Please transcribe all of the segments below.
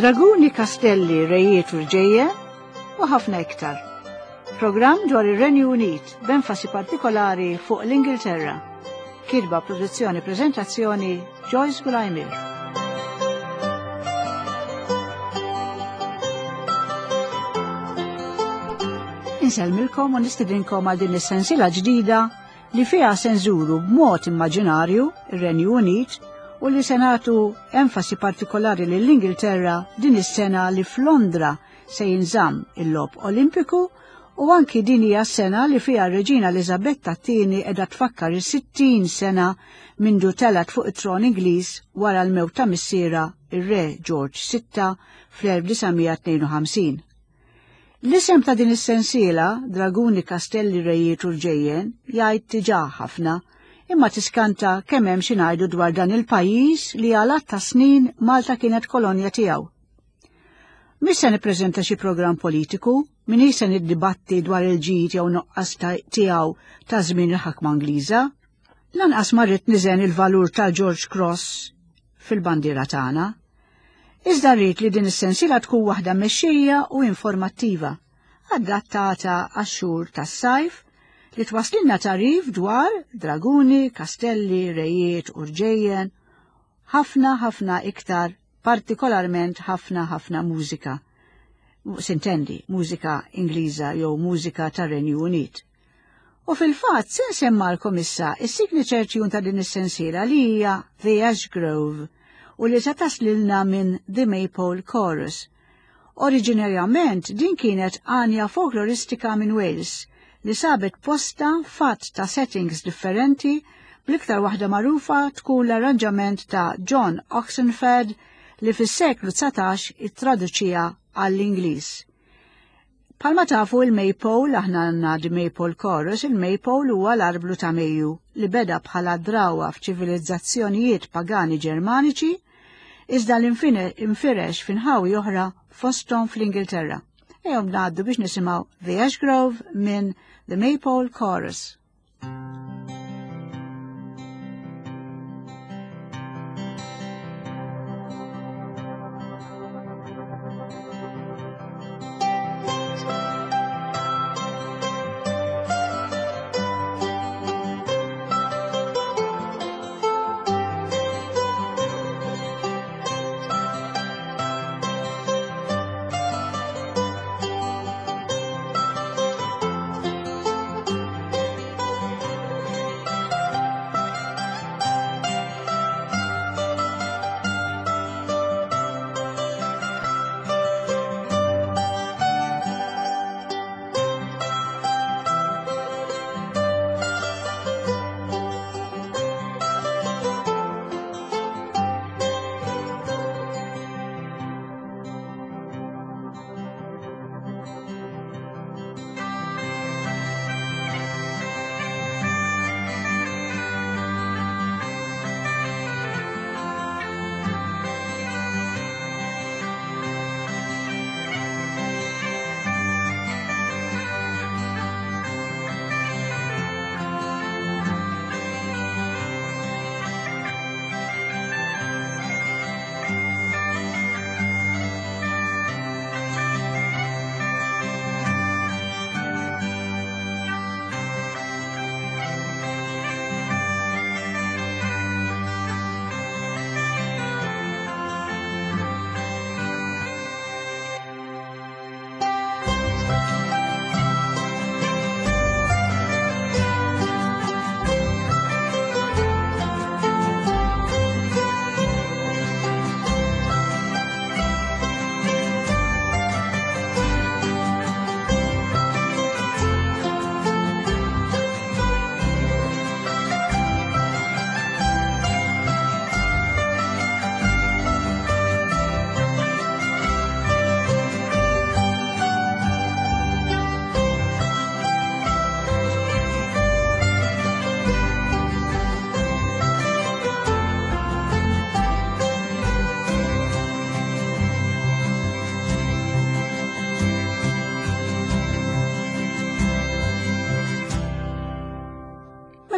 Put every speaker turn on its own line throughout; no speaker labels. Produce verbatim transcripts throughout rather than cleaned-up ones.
Draguni, Kastelli, Rejiet u Rġejjen u ħafna iktar. Programm dwar ir-Renju Unit b'enfasi partikolari fuq l-Ingilterra. Kirba produzzjoni prezentazzjoni Joyce Gulajmir. Insellmilkom u nistedinkom għal din is-sensiela ġdida li fiha se nżuru b'mod immaġinarju ir-Renju Unit u li se nagħtu enfasi partikolari lill-Ingilterra din is-sena li f'Londra se jinżamm il-logħob Olimpiku u anki din hija sena li fiha r-Reġina Eliżabetta t-tieni qiegħda tfakkar is-sittin sena mindu telgħet fuq it-tron Ingliż wara l-mewt ta' missierha ir-Re George sitta fl-elf disa' mija tnejn u ħamsin. L-isem ta' din is-sensiela, Draguni, Kastelli, Rejiet u Rġejjen, jgħid diġà ħafna, imma tiskanta kemm hemm xi ngħidu dwar dan il-pajjiż li għal għadd ta' snin Malta kienet kolonja tiegħu. Mhix se nippreżenta xi programm politiku, minix se niddibatti dwar il-ġid jew nuqqas tiegħu ta' żmien il-ħakma Ingliża, lanqas ma rrid niżen il-valur tal-George Cross fil-bandiera tagħna. Iżda rrid li din is-sensiela tkun waħda mexxejja u informattiva, adattata għax-xhur tas-sajf li twasslilna tarif dwar draguni, kastelli, rejiet u rġejjen, ħafna ħafna iktar, partikolarment ħafna ħafna mużika. Sintendi, mużika Ingliża jew mużika tar-Renju Unit. U fil-fatt se nsemmalkom issa is-signature tune ta' din is-sensiela li hija The Ash Grove u li se taslilna minn The Maypole Chorus. Oriġinarjament din kienet għanja folkloristika minn Wales li sabet posta fatt ta' settings differenti, bl-iktar waħda magħrufa tkun l-arranġament ta' John Oxenford li fis-seklu dsatax ittraduċija għall-Ingliż. Palma tafu il-Maypole, aħna għandna The Maypole Chorus, il-Maypole huwa l-arblu ta' Mejju li beda bħala drawa f'ċivilizzazzjonijiet pagani Ġermaniċi, iżda l-infirex f'inħawi oħra fosthom fl-Ingilterra. Ejjew ngħaddu biex nisimgħu The Ash Grove minn The Maypole Chorus.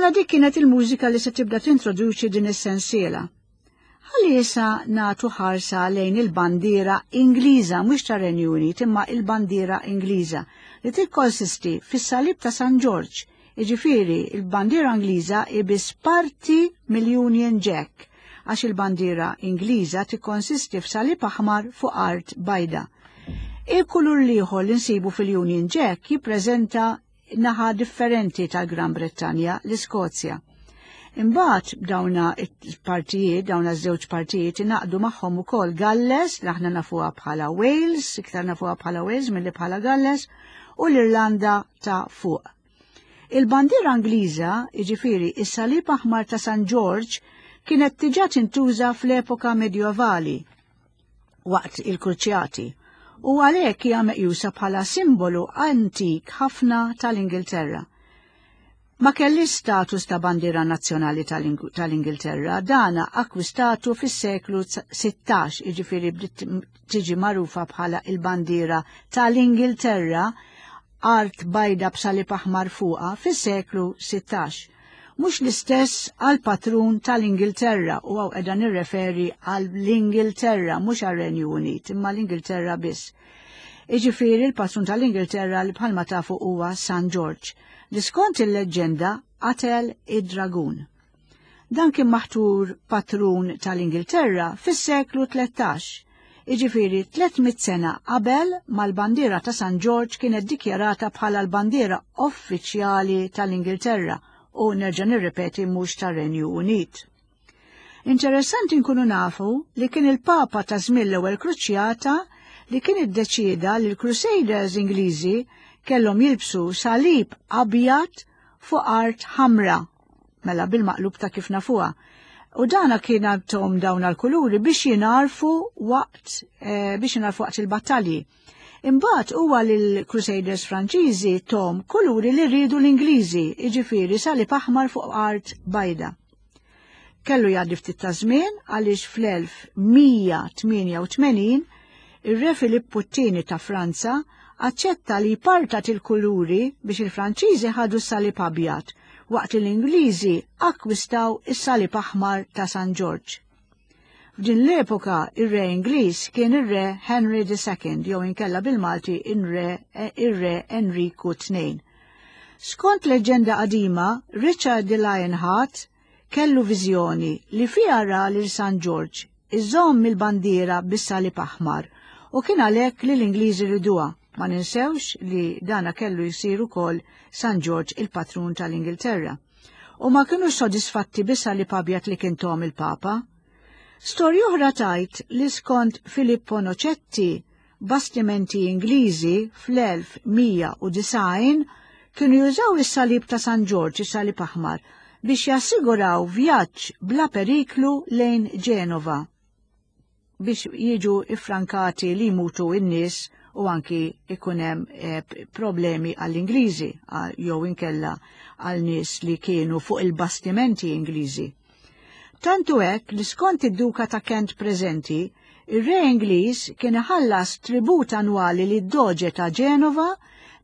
Mela dik kienet il-mużika li se tibda tintroduċi din is-sensiela. Ħalli issa nagħtu ħarsa lejn il-bandiera Ingliża, mhux tar-Renju Unit, imma il-bandiera Ingliża li tikkonsisti fis-salib ta' San Ġorġ. Jiġifieri il-bandiera Ingliża hi biss parti mill-Union Jack, għax il-bandiera Ingliża tikkonsisti f'salib aħmar fuq art bajda. Il-kulur l-ieħor li nsibu fil-Union Jack jippreżenta naħa differenti tal-Gran Brittanja, l-Iskozja. Imbagħad dawna partijiet, dawna żewġ partijiet ingħaqdu magħhom ukoll Galles, li aħna nafuha bħala Wales, iktar nafuha bħala Wales milli bħala Galles, u l-Irlanda ta' fuq. Il-bandiera Ingliża, jiġifieri is-salib aħmar ta' San George, kienet diġà tintuża fl-epoka medjevali waqt il-Kruċjati u għalhekk hija meqjusa bħala simbolu antik ħafna tal-Ingilterra. Ma kellix status ta' bandiera nazzjonali tal-Ingilterra, dana akkwistatu fis-seklu sittax, jiġifieri bdiet tiġi magħrufa bħala il-bandiera tal-Ingilterra, art bajda b'salib aħmar fuqha, fis-seklu sittax. Mhux l-istess għal patrun tal-Ingilterra, u hawn qiegħda nirreferi għall-Ingilterra, mhux għar-Renju Unit, imma l-Ingilterra biss. Jiġifieri l-patrun tal-Ingilterra li bħalma tafu huwa San George, li skont il-leġġenda qatel id-dragun. Dan kien maħtur patrun tal-Ingilterra fis-seklu tlettax, jiġifieri tliet mitt sena qabel mal-bandiera ta' San George kienet dikjarata bħala l-bandiera uffiċjali tal-Ingilterra, u nerġa' nirrepeti mhux tar-Renju Unit. Interessanti nkunu nafu li kien il-Papa ta' żmien l-ewwel Kruċjata li kien iddeċieda li l-Crusaders Ingliżi kellhom jilbsu salib abjad fuq art ħamra, mela bil-maqlub ta' kif nafuha. U dana kien għandhom dawn l-kuluri biex jingħarfu waqt, eh, biex jingħarfu waqt il-battalji. Imbagħad huwa lill-Crusaders Franċiżi tom kuluri li rridu l-Ingliżi, jiġifieri salib aħmar fuq art bajda. Kellu jgħaddi ftit ta' żmien għaliex fl-elf mija tmienja u tmenin ir-Re Filippu t-tieni ta' Franza aċċetta li jpartat il-kuluri biex il-Franċiżi ħadu s-salib abjad, waqt li l-Ingliżi akkwistaw is-salib aħmar ta' San Ġorġ. F'din l-epoka ir-re Ingliż kien ir-re Henry the Second, jew inkella bil-Malti ir-re Enriku tnejn. Skont leġġenda qadima, Richard the Lionheart kellu viżjoni li fiha ra lil San Ġorġ iżomm il-bandiera bis-salib aħmar u kien għalhekk li l-Ingliżi riduha. Ma ninsewx li dana kellu jsir ukoll San Ġorġ il-patrun tal-Ingilterra. U ma kienux sodisfatti bis-salib abjad li kien tom il-Papa. Storja oħra tajt li skont Filippo Nocetti, bastimenti Ingliżi fl-elf mija u disgħin kienu jużaw is-salib ta' San Ġorġ, is-salib aħmar, biex jassiguraw vjaġġ bla periklu lejn Ġenova, biex jiġu iffrankati li jmutu n-nies u anki ikun hemm, eh, problemi għall-Ingliżi, għal-, jew inkella għal nies li kienu fuq il-bastimenti Ingliżi. Tantu hekk li skont id-Duka ta' Kent preżenti, ir-re Ingliż kien iħallas tribut annwali lid doġe ta' Ġenova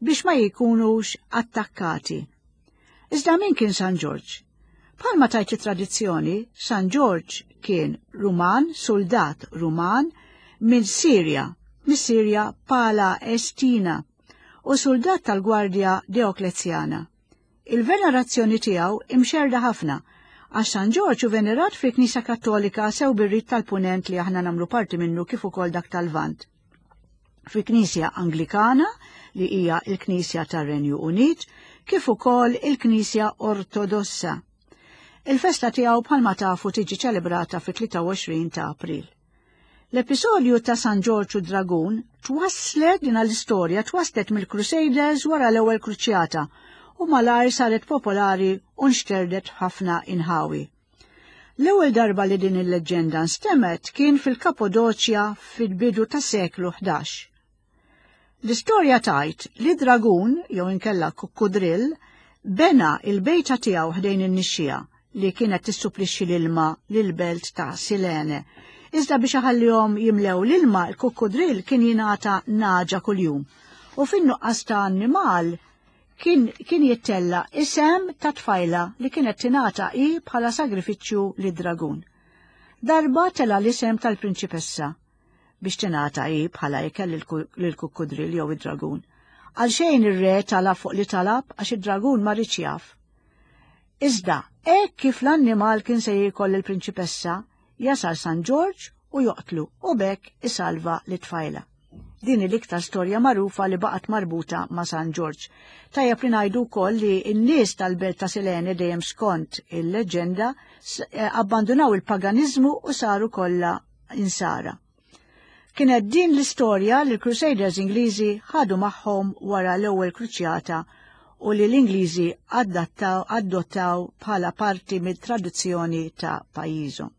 biex ma jkunux attakkati. Iżda min kien San Ġorġ? Bħalma tajt it-tradizzjoni, San Ġorġ kien Ruman, soldat Ruman minn Sirja, mis-Sirja Palestina, u soldat tal-Gwardja Dioklezjana. Il-venerazzjoni tiegħu imxerda ħafna, għax San Ġorġ hu venerat fil-Knisja Kattolika sew bir-rit tal-Punent li aħna nagħmlu parti minnu kif ukoll dak tal-Lvant. Fil-Knisja Anglikana, li hija l-Knisja tar-Renju Unit, kif ukoll il-Knisja Ortodossa. Il-festa tiegħu bħalma tafu tiġi ċelebrata fit-tlieta u għoxrin ta' April. L-episodju ta' San Ġorġ u Dragun twasslet din l-istorja twasslet mill-Crusaders wara l-ewwel Kruċjata u malajr saret popolari u nxterdet ħafna inħawi. L-ewwel darba li din il-leġġenda nstemmet kien fil-Kappadoċja fil-bidu tas-seklu ħdax. L-istorja tajt li dragun, jew inkella kukkudrill, bena il-bejta tiegħu ħdejn in-nixxija li kienet tissupplixxi l-ilma lill-belt ta' Silene. Iżda biex iħallihom jimlew l-ilma, il-kukkudrill kien jingħata naġa kuljum. U fin-nuqqas ta' annimal kien, kien jittella isem ta' tfajla li kienet tingħata hi bħala sagrifiċċju lid-dragun. Darba tela l-isem tal-prinċipessa biex tingħata hi bħala ikel lill-kukkudril jew id-dragun. Għalxejn ir-re talab fuq li talab għax id-dragun ma riedx jaf. Iżda, hekk kif l-annimal kien se jiekol il-prinċipessa, jasal San Ġorġ u joqtlu u b'hekk isalva lit-tfajla. Din l-iktar storja magħrufa li baqgħet marbuta ma' San Ġorġ. Tajjeb li ngħidu wkoll li n-nies tal-belt ta' Silene dejjem skont il-leġenda abbandunaw il-paganiżmu u saru kollha insara. Kienet din l-istorja li l-Crusaders Ingliżi ħadu magħhom wara l-ewwel kruċjata u li l-Ingliżi adottaw bħala parti mit-tradizzjoni ta' pajjiżhom.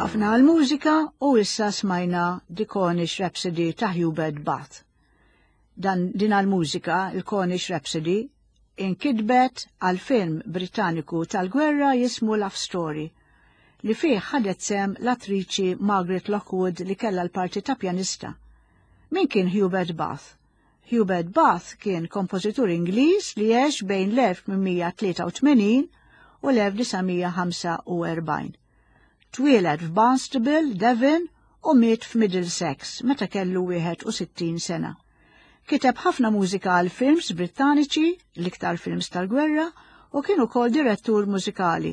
Waqafna għal-mużika u issa smajna The Cornish Rhapsody ta' Hubert Bath. Dan din għal-mużika, il-Cornish Rhapsody, inkitbet għal film Britanniku tal-gwerra jismu Love Story, li fih ħadet sehem l-attriċi Margaret Lockwood li kella l-parti ta' pjanista. Min kien Hubert Bath? Hubert Bath kien kompożitur Ingliż li għex bejn l-elf tmien mija tlieta u tmenin u l-elf disa' mija ħamsa u erbgħin. Twieled f'Barnstable, Devon, u miet f'Middlesex meta kellu wieħed u sittin sena. Kiteb ħafna mużika għal films Brittaniċi, l-iktar films tal-gwerra, u kien ukoll direttur mużikali.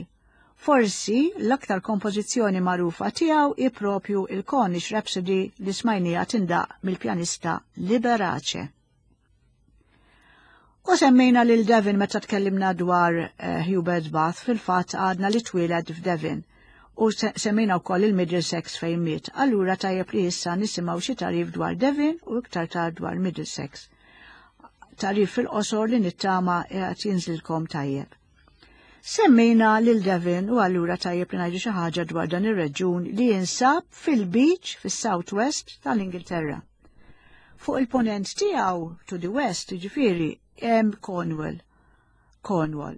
Forsi l-aktar kompożizzjoni magħrufa tiegħu hi propju il-Cornish Rhapsody li smajnija tindaq mill-pjanista Liberace. U semmejna lil Devon meta tkellimna dwar uh, Hubert Bath, fil-fatt għadna li twieled f'Devon u semmejna wkoll il-Middlesex fejn miet. Allura tajjeb li issa nisimgħu xi tagħrif dwar Devon u iktar tard dwar Middlesex. Tagħrif fil-qosor li nittama qed jinżilkom tajjeb. Semmejna lil Devon u allura tajjeb li ngħidu xi ħaġa dwar dan ir-reġjun li jinsab fil-beach fis-Southwest tal-Ingilterra. Fuq il-ponent tiegħu, to the west, jiġifieri, hemm Cornwall. Cornwall.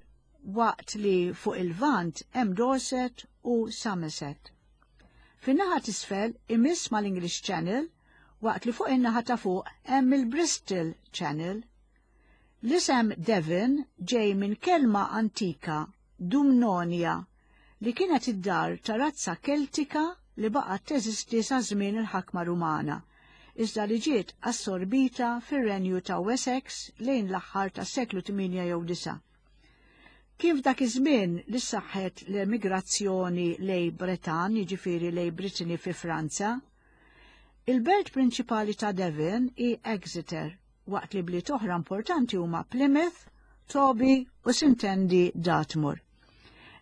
Waqt li fuq il-Lvant hemm Dorset u Somerset. Fin-naħa t'isfel imiss mal-English Channel, waqt li fuq in-naħa ta' fuq hemm il-Bristol Channel. L-isem Devon ġej minn kelma antika Dumnonia, li kienet id-dar ta' razza Keltika li baqgħet teżisti sa żmien il-ħakma Rumana, iżda li ġiet assorbita fir-renju ta' Wessex lejn l-aħħar tas-seklu tmienja jew disa'. Kif dak iż-żmien li saħħet l-emigrazzjoni lejn Bretan, jiġifieri lejn Brittany fi Franza. Il-belt prinċipali ta' Devon hi Exeter, waqt li bliet oħra importanti huma Plymouth, Toby u s'intendi Dartmoor.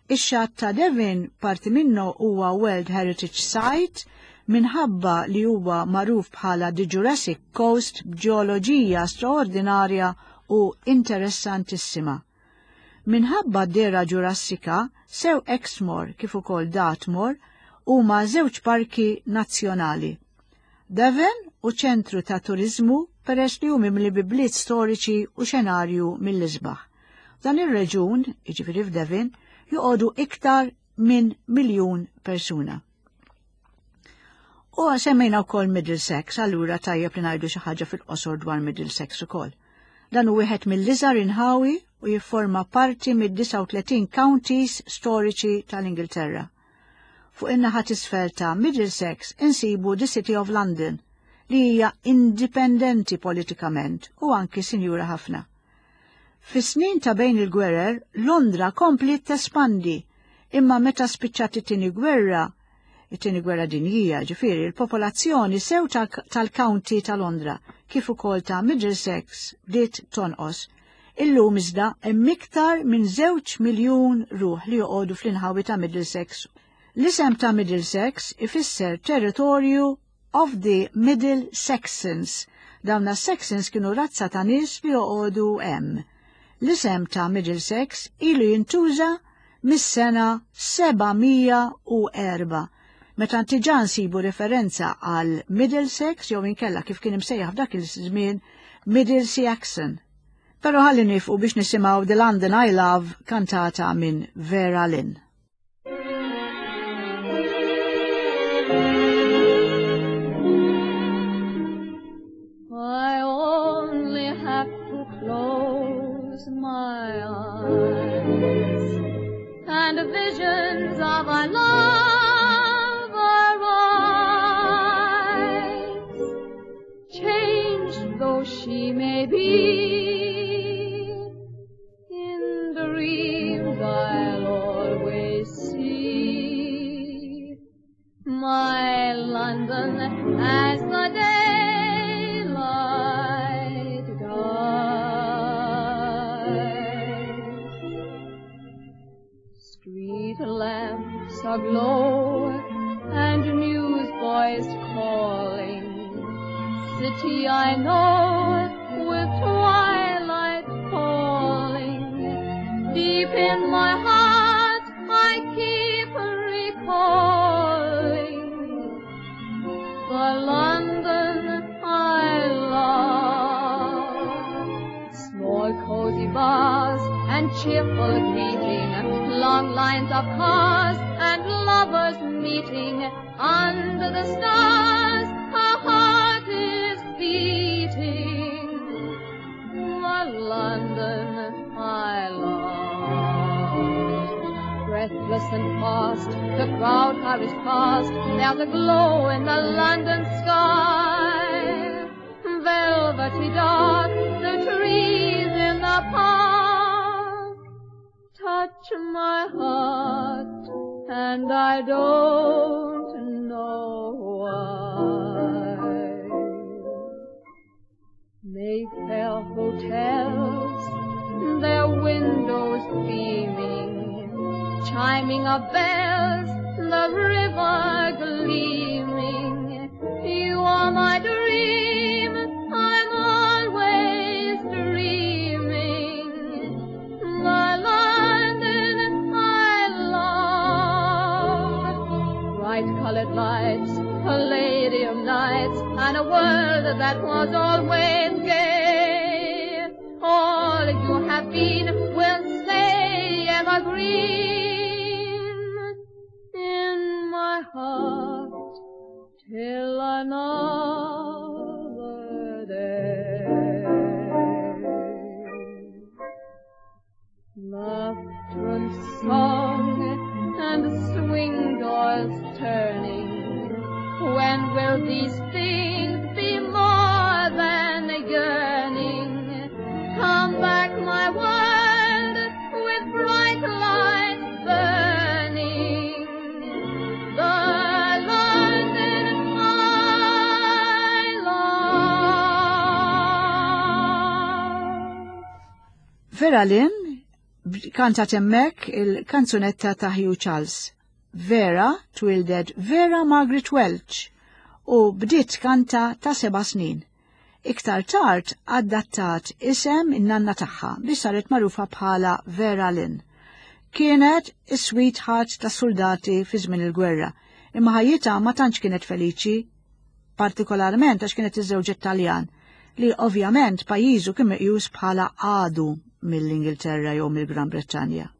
Ix-xatt ta' Devon, parti minnu huwa World Heritage Site minħabba li huwa magħruf bħala The Jurassic Coast, b'ġeoloġija straordinarja u interessantissima. Minħabba d-dehra Ġurassika, sew Exmoor kif ukoll Dartmoor huma żewġ parki nazzjonali. Devon hu ċentru ta' turizmu peress li hu mimli bi bliet storiċi u xenarju mill-isbaħ. Dan ir-reġun, jiġifieri f'Devon, joqogħdu iktar minn miljun persuna. U semmejna wkoll Middlesex, allura tajjeb li ngħidu xi ħaġa fil-qosor dwar Middlesex ukoll. Dan hu wieħed mill-iżgħar inħawi u jifforma parti mid-disgħa u tletin counties storiċi tal-Ingilterra. Fuq in-naħa t'isfel ta' Middlesex insibu the City of London, li hija indipendenti politikament u anki sinjura ħafna. Fis-snin ta' bejn il-gwerer, Londra kompli tespandi, imma meta spiċċat it-tieni gwerra, it-tieni gwerra dinjija, ġifieri, il-popolazzjoni sew tal-County ta' Londra kif ukoll ta' Middlesex bdiet tonqos. Illum iżda hemm iktar minn żewġ miljun ruħ li joqogħdu fl-inħawi ta' Middlesex. L-isem ta' Middlesex ifisser territorju of the Middle Saxons. Dawn Saxons kienu razza ta' nies li joqogħdu hemm. L-isem ta' Middlesex ilu jintuża mis-sena seba' mija u erbgħa, meta diġà nsibu referenza għal Middlesex jew inkella kif kien imsejjaħ f'dak il-żmien, Middle Saxon. Però ħalli nieqfu biex nisimgħu The London I Love kantata minn Vera Lynn.
I only have to close my eyes and visions of our love arise. Changed though she may be, in dreams I'll always see my London as the daylight dies. Street lamps aglow and newsboys calling, city I know with twilight falling. Deep in my heart I keep recalling bars and cheerful greeting, long lines of cars and lovers meeting. Under the stars, a heart is beating. The London I love. Breathless and fast, the crowd hurries past. There's a glow in the London sky. Velvety dark, the trees in the park touch my heart, and I don't know why. Mayfair hotels, their windows beaming, chiming of bells, the river gleaming. You are my dream, I'm always dreaming. The London I love. Bright colored lights, palladium nights, and a world that was always gay. All you have been will stay evergreen in my heart till another day. Laughter and song and swing doors turning. When will these things be more than a yearning? Come back, my world, with bright lights burning. The London I love.
Vera Lynn kantat hemmhekk il-kanzunetta ta' Hugh Charles. Vera twildet Vera Margaret Welch u bdiet kanta ta' seba' snin. Iktar tard adattat isem in-nanna tagħha biex saret magħrufa bħala Vera Lynn. Kienet is-sweetheart ta' soldati fi żmien il-gwerra, imma ħajjitha ma tantx kienet feliċi, partikolarment għax kienet iżżewġet Taljan, li ovvjament pajjiżu kien meqjus bħala għadu mill-Ingilterra jew mill-Gran Brittanja.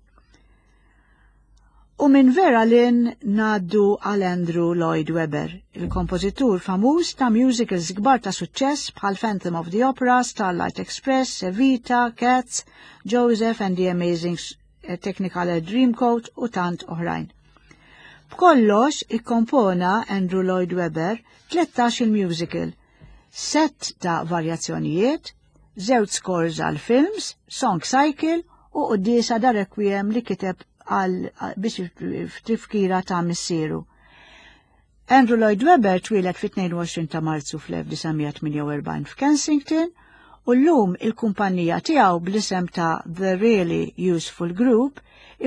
U minn Vera Lynn ngħaddu għal Andrew Lloyd Webber, il-kompożitur famuż ta' musicals kbar ta' suċċess bħal Phantom of the Opera, Starlight Express, Evita, Cats, Joseph and the Amazing Technicolor Dreamcoat u tant oħrajn. B'kollox ikkompona Andrew Lloyd Webber tlettax il-musical, set ta' varjazzjonijiet, żewġ scores għal films, song cycle u quddiesa da requiem li kiteb għal biex f'tifkira ta' missieru. Andrew Lloyd Webber twieled fit-tnejn u għoxrin ta' Marzu fl-elf disa' mija tmienja u erbgħin f'Kensington u llum il-kumpanija tiegħu bl-isem ta' The Really Useful Group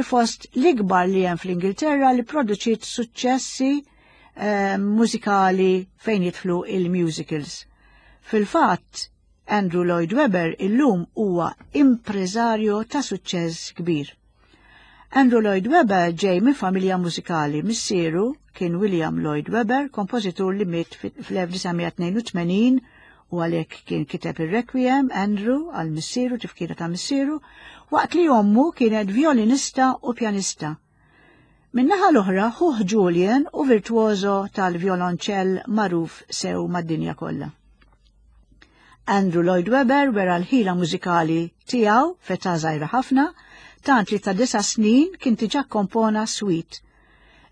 fost l-ikbar li hemm fl-Ingilterra li produċiet suċċessi eh, mużikali fejn jidħlu il-musicals. Fil-fatt, Andrew Lloyd Webber illum huwa impreżarju ta' suċċess kbir. Andrew Lloyd Webber ġej minn familja mużikali. Missieru kien William Lloyd Webber, kompożitur li miet fl-elf disa' mija tnejn u tmenin u għalhekk kien kiteb ir-Requiem Andrew għal missieru, tifkira ta' missieru, waqt li ommu kienet violinista u pjanista. Min-naħa l-oħra, ħuh Julian hu virtuoso tal-violonċell magħruf sew mad-dinja kollha. Andrew Lloyd Webber wera l-ħila mużikali tiegħu f'età żgħira ħafna, tant li ta' disa' snin kien diġà kompona suite.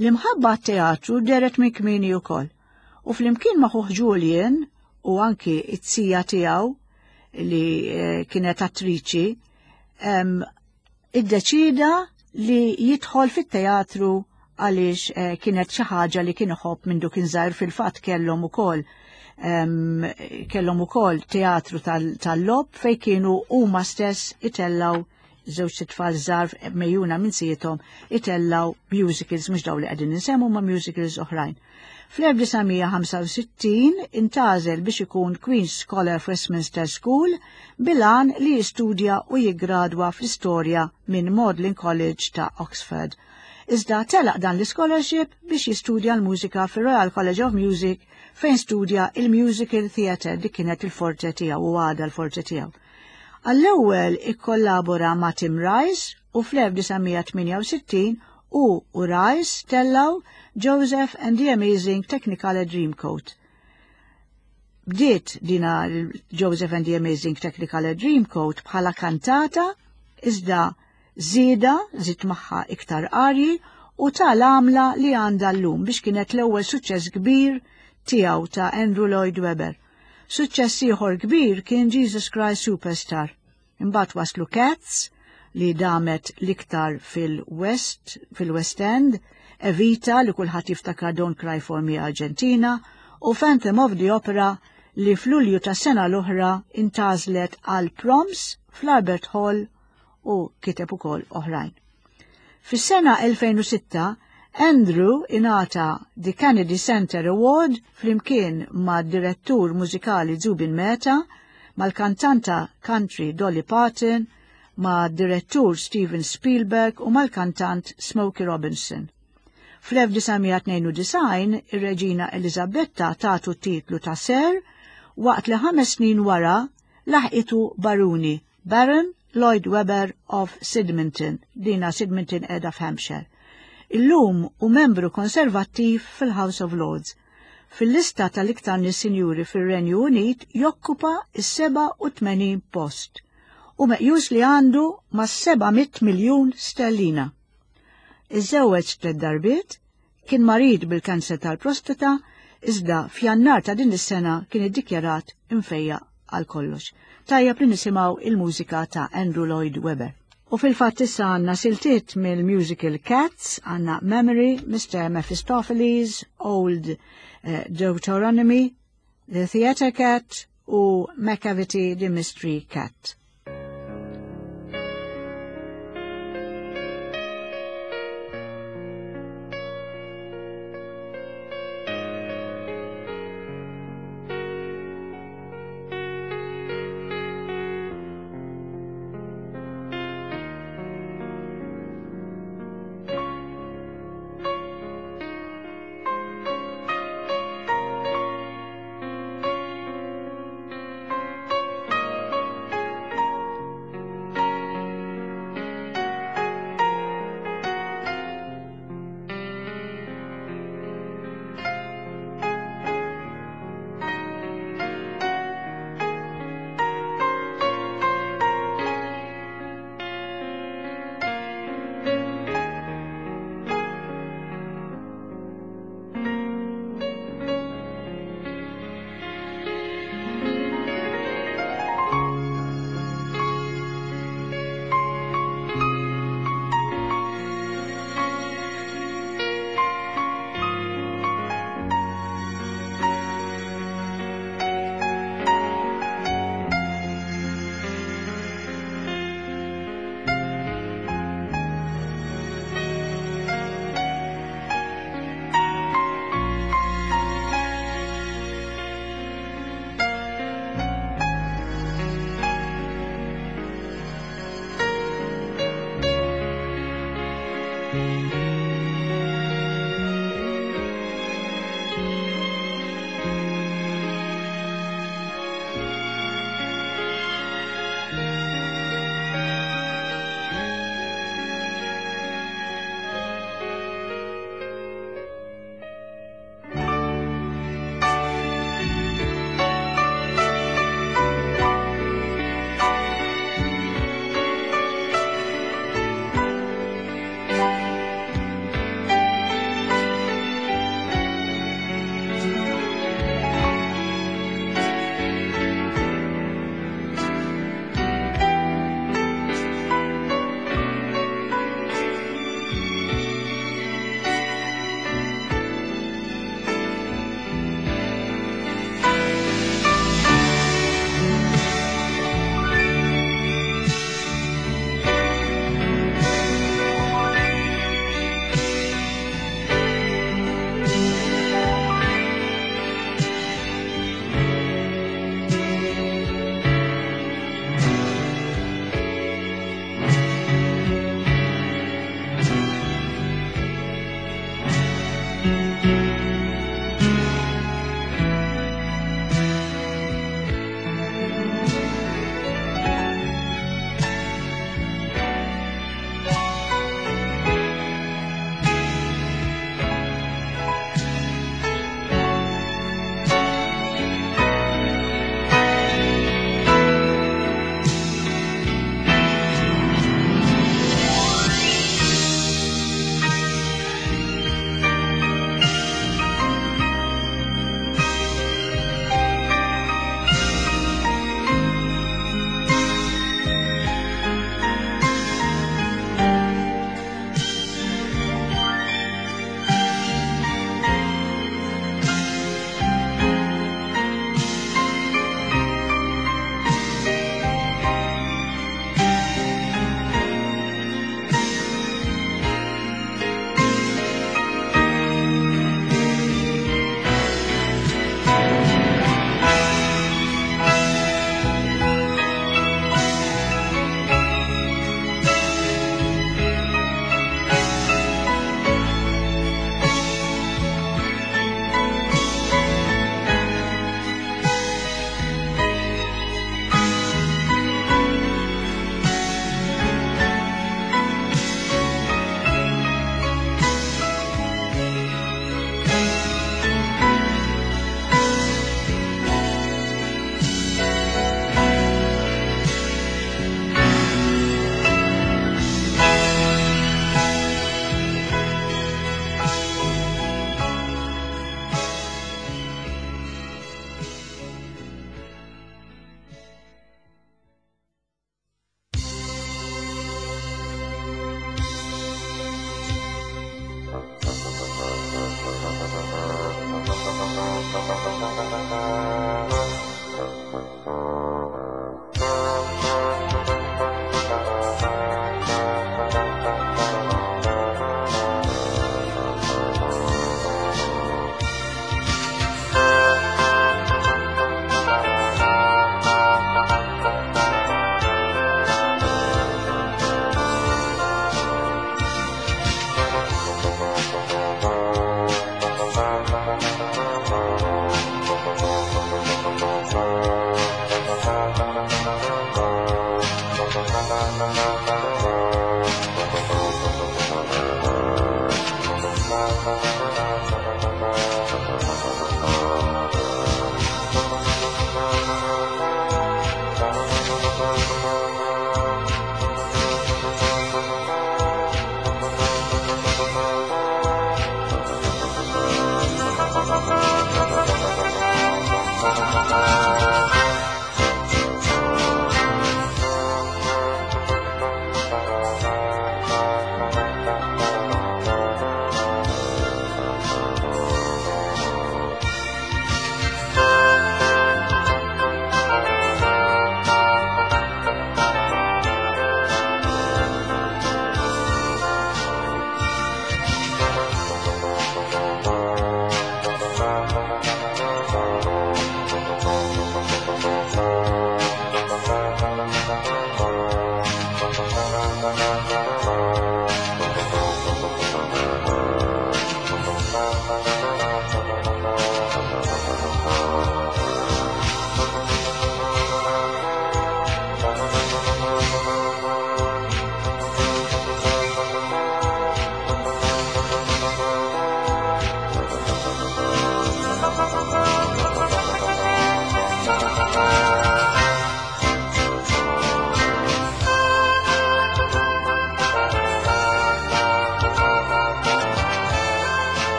L-imħabba teatru dehret minn kmieni wkoll, u flimkien ma' ħuh Julian u anki it-sija tiegħu li eh, kienet attriċi, iddeċida li jidħol fit-teatru għaliex eh, kienet xi ħaġa li kien iħobb minn kien żgħir. Fil-fatt kellhom ukoll kellhom ukoll teatru tal-logħob fejn kienu huma stess itellaw, żewġ tfal żgħar megħjuna minn zijiethom, itellaw musicals, mhux daw li qegħdin insemmu ma' musicals oħrajn. Fl-elf disa' mija ħamsa u sittin intgħażel biex ikun Queen's Scholar f'Westminster School bil-għan li jistudja u jiggradwa fl-istorja minn Magdalen College ta' Oxford. Iżda telaq dan l-scholarship biex jistudja l-mużika fir-Royal College of Music fejn studja il-Musical Theatre. Dik kienet il-forte tiegħu u għadha l-forte tiegħu. Għall-ewwel ikkollabora ma' Tim Rice u fl-elf disa' mija tmienja u sittin u u Rice tellaw Joseph and the Amazing Technicolor Dreamcoat. Bdiet dina Joseph and the Amazing Technicolor Dreamcoat bħala kantata, iżda żieda żied magħha iktar arji u tal-għamla li għandha llum biex kienet l-ewwel suċċess kbir tiegħu ta' Andrew Lloyd Webber. Suċċess ieħor kbir kien Jesus Christ Superstar. Imbagħad waslu Cats, li damet l-iktar fil-West, fil-West End, Evita, li kulħadd jiftakar Don't Cry for Me Argentina, u Phantom of the Opera, li f'Lulju ta' sena l-oħra intgħażlet għal Proms fl-Albert Hall, u kiteb ukoll oħrajn. Fis-sena elfejn u sitta Andrew ingħata The Kennedy Center Award flimkien ma' direttur mużikali Zubin Mehta, mal-kantanta country Dolly Parton, ma' direttur Steven Spielberg u mal-kantant Smokey Robinson. Fl-elf disa' mija tnejn u disgħin ir-Reġina Elizabetta tatu titlu ta' Sir, waqt li ħames snin wara laħqitu Baruni, Baron Lloyd Webber of Sydmonton, dina Sydmonton qiegħda f'Hampshire. Illum hu membru konservattiv fil-House of Lords. Fil-lista tal-iktar nies sinjuri fil-Renju Unit jokkupa is-seba' u tmenin post u meqjus li għandu ma' seba' mitt miljun sterlina. Iżżewweġ tliet darbiet, kien marid bil-kanser tal-prostata, iżda f'Jannar ta' din is-sena kien iddikjarat imfejjaq għal kollox. Tajjeb li nisimgħu il-mużika ta' Andrew Lloyd Webber. U fil-fatt issa għandna siltiet mill-musical Cats, għandna Memory, Mister Mephistopheles, Old uh, Deuteronomy, The Theatre Cat u Macavity the Mystery Cat.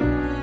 Thank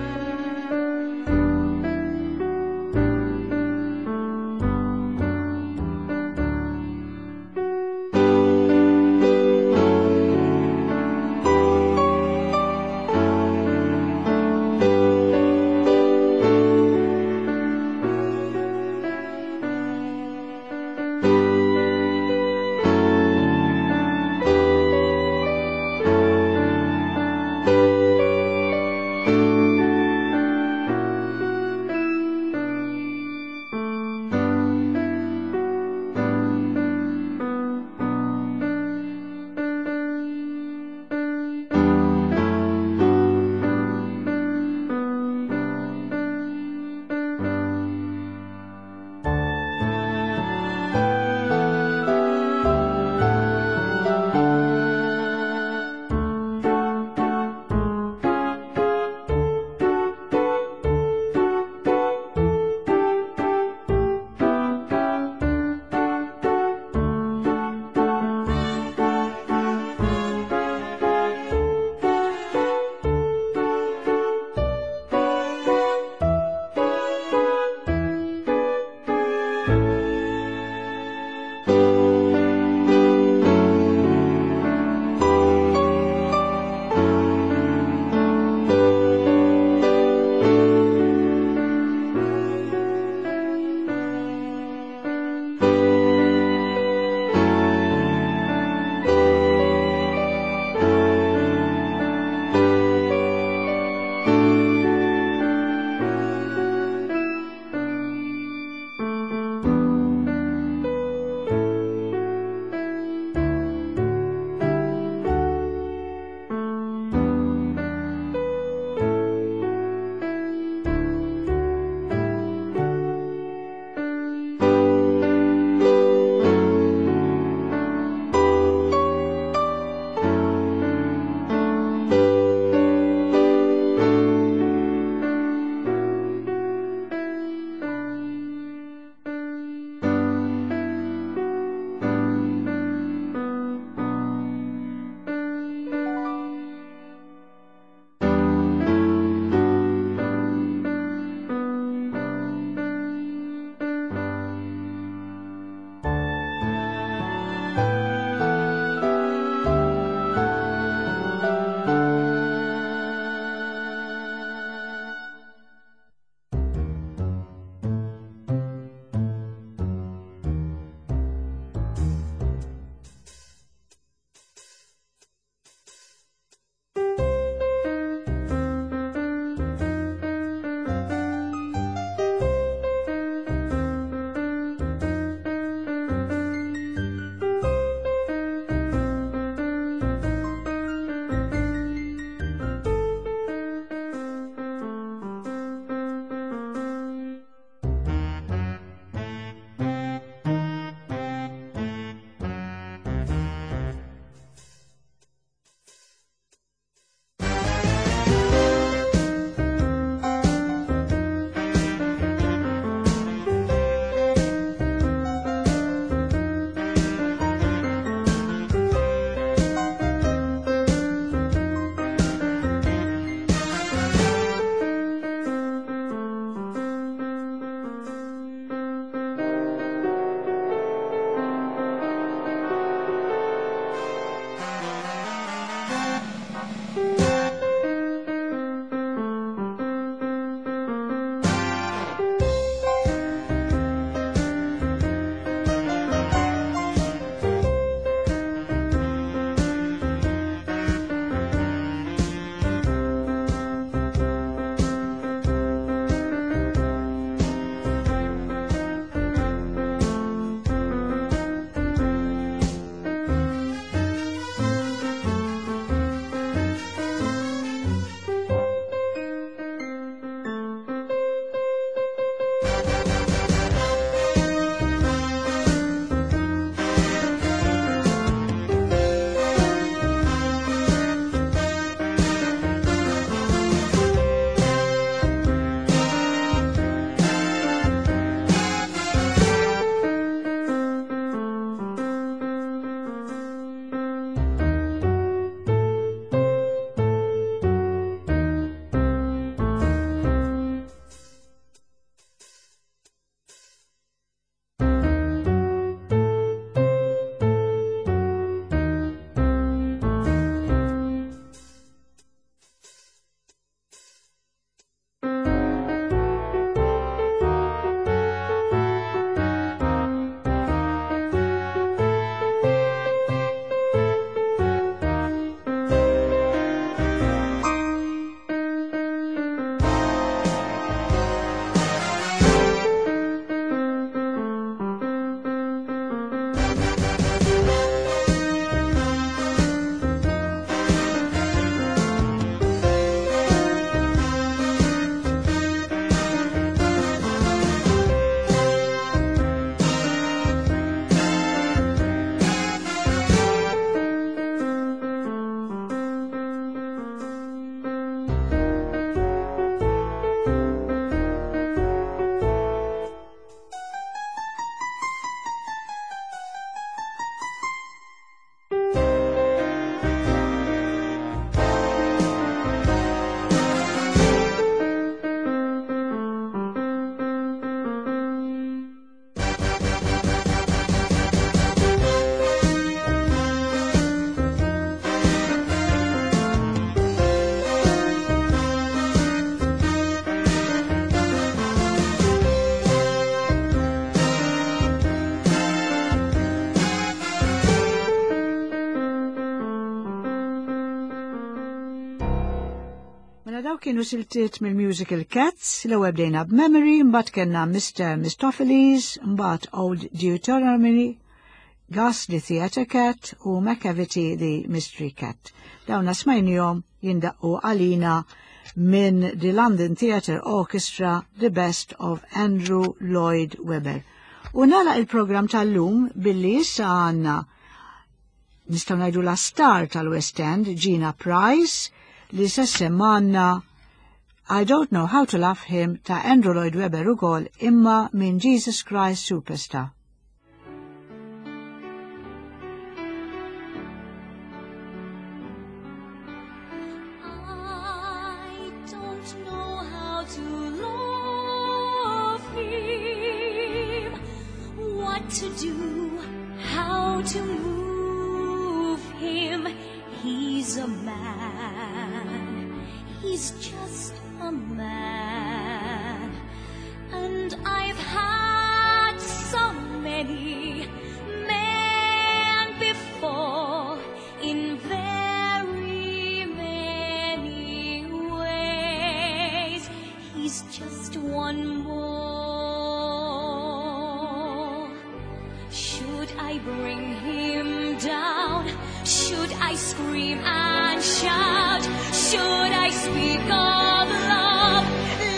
Daw kienu siltiet mill-musical Cats, l-ewwel bdejna b'Memory, mbagħad kellna Mister Mistoffelees, mbagħad Old Deuteronomy, Gus the Theatre Cat u Macavity the Mystery Cat. Dawna smajnihom jindaqqu għalina minn The London Theatre Orchestra, The Best of Andrew Lloyd Webber. U nagħlaq il-programm tal-lum billi issa għandna nistgħu ngħidu la star tal-West End, Gina Price, li se semmanna I Don't Know How to Love Him ta' Andrew Lloyd Webber ukoll imma minn Jesus Christ Superstar.
I don't know how to love him, what to do, how to move him. He's a man, he's just a man, and I've had so many men before in very many ways. He's just one more. Should I bring him down? Should I scream and shout? Should I speak of love?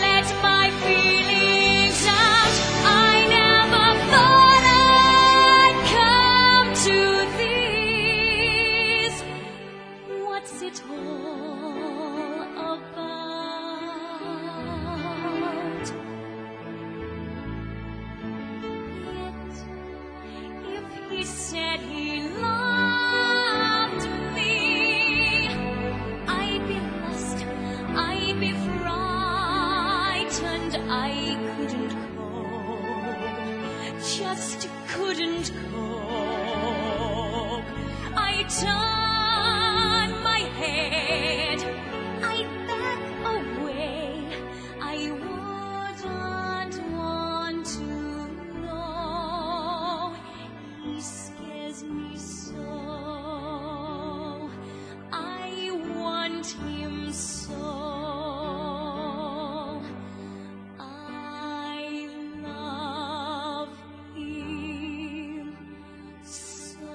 Let my feelings out. I never thought I'd come to this. What's it all about? Yet, if he said he loved me, I'd be lost, I'd be frightened, I couldn't cope, just couldn't cope. I'd turn my head, I'd back away, I wouldn't want to know. He scares me so, I want him so, I love him so.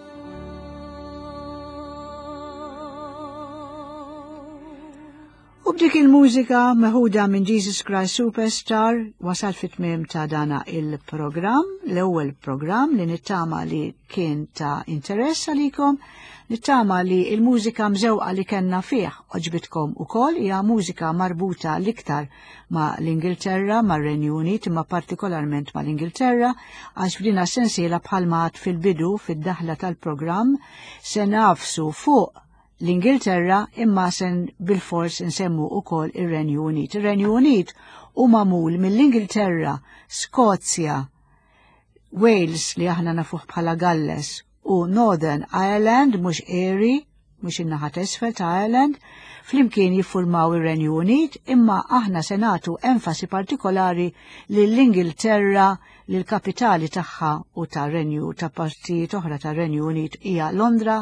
U b'dik il-mużika meħuda minn Jesus Christ Superstar wasal fit-tmiem ta' dana il-programm, l-ewwel programm li nittama li kien ta' interess għalikom, nittama li il-mużika mżewqa li kellna fih oġbitkom ukoll, hija mużika marbuta l-iktar ma' l-Ingilterra, ma' Renju Unit, imma partikolarment ma' l-Ingilterra, għax f'dina sensiela bħalma għad fil-bidu, fid-daħla tal-programm, se nafsu fuq l-Ingilterra imma sen bil-fors nsemmu ukoll ir-Renju Unit. Ir-Renju Unit hu magħmul mill-Ingilterra, Skozja, Wales li aħna nafuh bħala Galles u Northern Ireland, mhux Erie, mhux in-naħa t'isfel ta' Ireland, flimkien jiffurmaw ir-Renju Unit, imma aħna se nagħtu enfasi partikolari lill-Ingilterra, lill-kapitali tagħha u ta' Renju ta' partijiet oħra ta' Renju Unit hija Londra,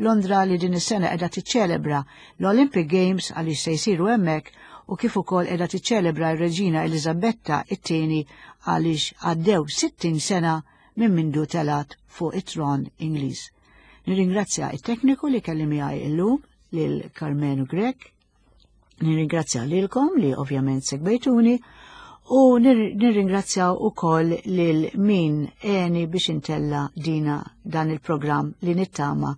Londra li din is-sena qiegħda tiċċelebra l-Olympic Games għaliex se jsiru hemmhekk, u kif ukoll qiegħda tiċċelebra r-Reġina Eliżabetta it-tieni għaliex għaddew sittin sena minn mindu telat fuq it-tron Ingliż. Nirringrazzja it-tekniku li kelli miegħi illum, lil Karmenu Grech, nirringrazzja lilkom li ovvjament segwejtuni, u nir-, nirringrazzja wkoll lil min għeni biex intella dina dan il-programm li nittama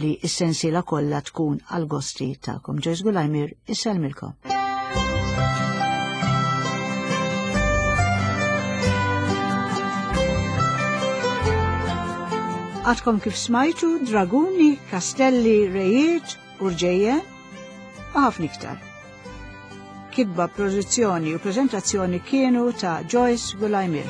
li s-sensiela kollha tkun għal-gosti tagħkom. Joyce Gulajmir, isselmilkom. Għadkom kif smajtu draguni, kastelli, rejiet, urġejje, u ħafna iktar. Kitba, produzzjoni u prezentazzjoni kienu ta' Joyce Gulajmir.